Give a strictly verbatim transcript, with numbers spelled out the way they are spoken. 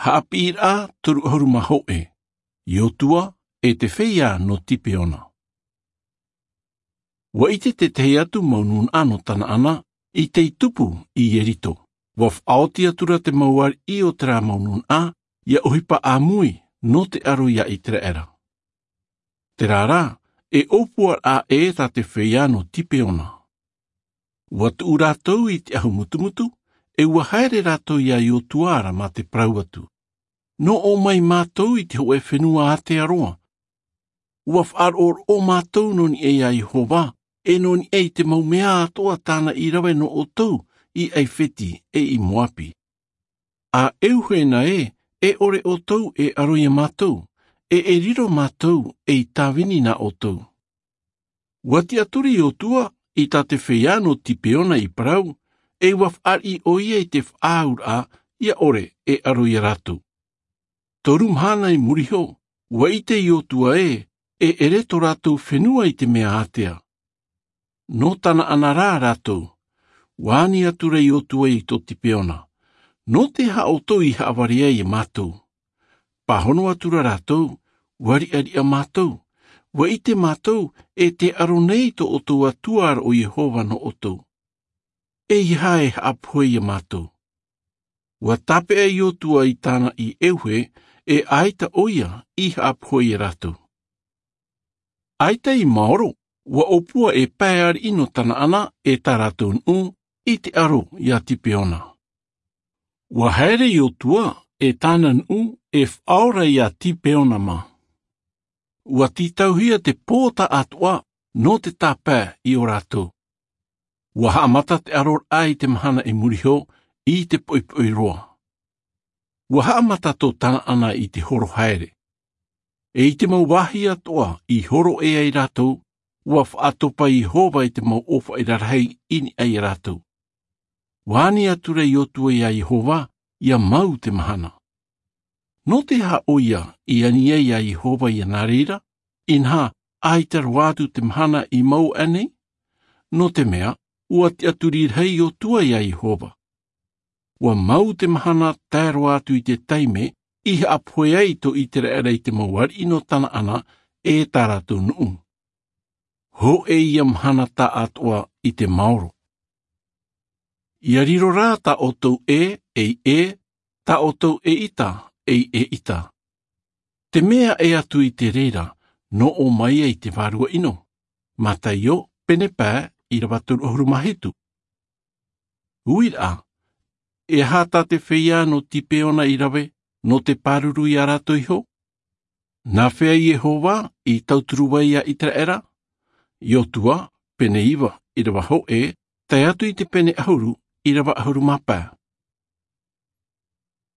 Haʻapiʻiraʻa toru ʻahuru mā hōʻē. Iotua e te feiā nō Tipeona. Ua ʻite te tahi atu mau nūnaʻa nō Tanaana i tei tupu i Ieriko. Ua faʻaoti atu ra te mau ariʻi o terā mau nūnaʻa ia ʻohipa ʻāmui nō te aro iā Iteraera. Terā rā, e ʻōpuaraʻa ʻē tā te feiā nō Tipeona. Ua tuʻu rātou i te ʻahu mutumutu, e ua haere rātou iā Iotua ra mā te parau atu. Nō ʻō mai mātou i te hōʻē fenua ātea roa. Ua faʻaroʻo mātou nō niʻa iā Iehova, e nō niʻa i te mau mea atoʻa tāna i rave nō ʻoutou i ʻAifeti e i Moapi. A ʻeuhe na ē, e ʻore ʻoutou e aro iā mātou, e e riro mātou ei tāvini nā ʻoutou. Ua tiʻaturi Iotua i tā te feiā nō Tipeona i parau, e ua fāriʻi ʻoia i te faʻaauraʻa ia ʻore e aro iā rātou. Toru mahana i muri iho, ua ʻite Iotua ē, e ʻere tō rātou fenua i te mea ātea. Nō Tanaana rā rātou. Ua ani atu ra Iotua i tō Tipeona. Nō te aha ʻoutou i haʻavare ai iā mātou? Pāhono atu ra rātou, ua riʻariʻa mātou. Ua ʻite mātou, e te aro nei tō ʻoutou Atua ra ʻo Iehova nō ʻoutou. E aha e haʻapohe iā mātou? Ua tāpeʻa Iotua i tāna i ʻeuhe, e ʻaita ʻoia i haʻapohe iā rātou. ʻAita i maoro, ua ʻōpua e pae ariʻi nō Tanaana e tā rātou nuʻu i te aro iā Tipeona. Ua haere Iotua e tāna nuʻu e faʻaora iā Tipeona mā. Ua tītauhia te pō taʻatoʻa nō te tāpae i ō rātou. Ua haʻamata te aroraʻa i te mahana i muri iho i te poʻipoʻi roa. Ua haʻamata tō Tanaana i te horo haere. E i te mau vāhi atoʻa i horo ʻē ai rātou, ua faʻatopa Iehova i te mau ʻōfaʻi rarahi i niʻa iā rātou. Ua ani atu ra Iotua iā Iehova, ia mau te mahana. Nō te aha ʻoia i ani ai iā Iehova iā nā reira, inaha ʻaita roa atu te mahana i mau aʻe nei? Nō te mea, ua tiʻaturi rahi Iotua iā Iehova. Ua mau te mahana tae roa atu i te taime i haʻapohe ai tō Iteraera i te mau ariʻi nō Tanaana e tā rātou nuʻu. Hōʻē ia mahana taʻatoʻa i te maoro. Ia riro rā tā ʻoutou ʻē, ei ʻē, tā ʻoutou ʻeʻita, ei ʻeʻita. Te mea ʻē atu i te reira, nō ʻō mai ai te vārua ʻino. Mataio, pene pae, ʻīrava toru ʻahuru mā hitu. Uiraʻa, e aha tā te feiā nō Tipeona i rave, nō te pāruru iā rātou iho? Nā hea Iehova i tauturu ai iā Iteraera? Iotua, pene iva, ʻīrava hōʻē, tae atu i te pene ʻahuru, ʻīrava ʻahuru mā pae.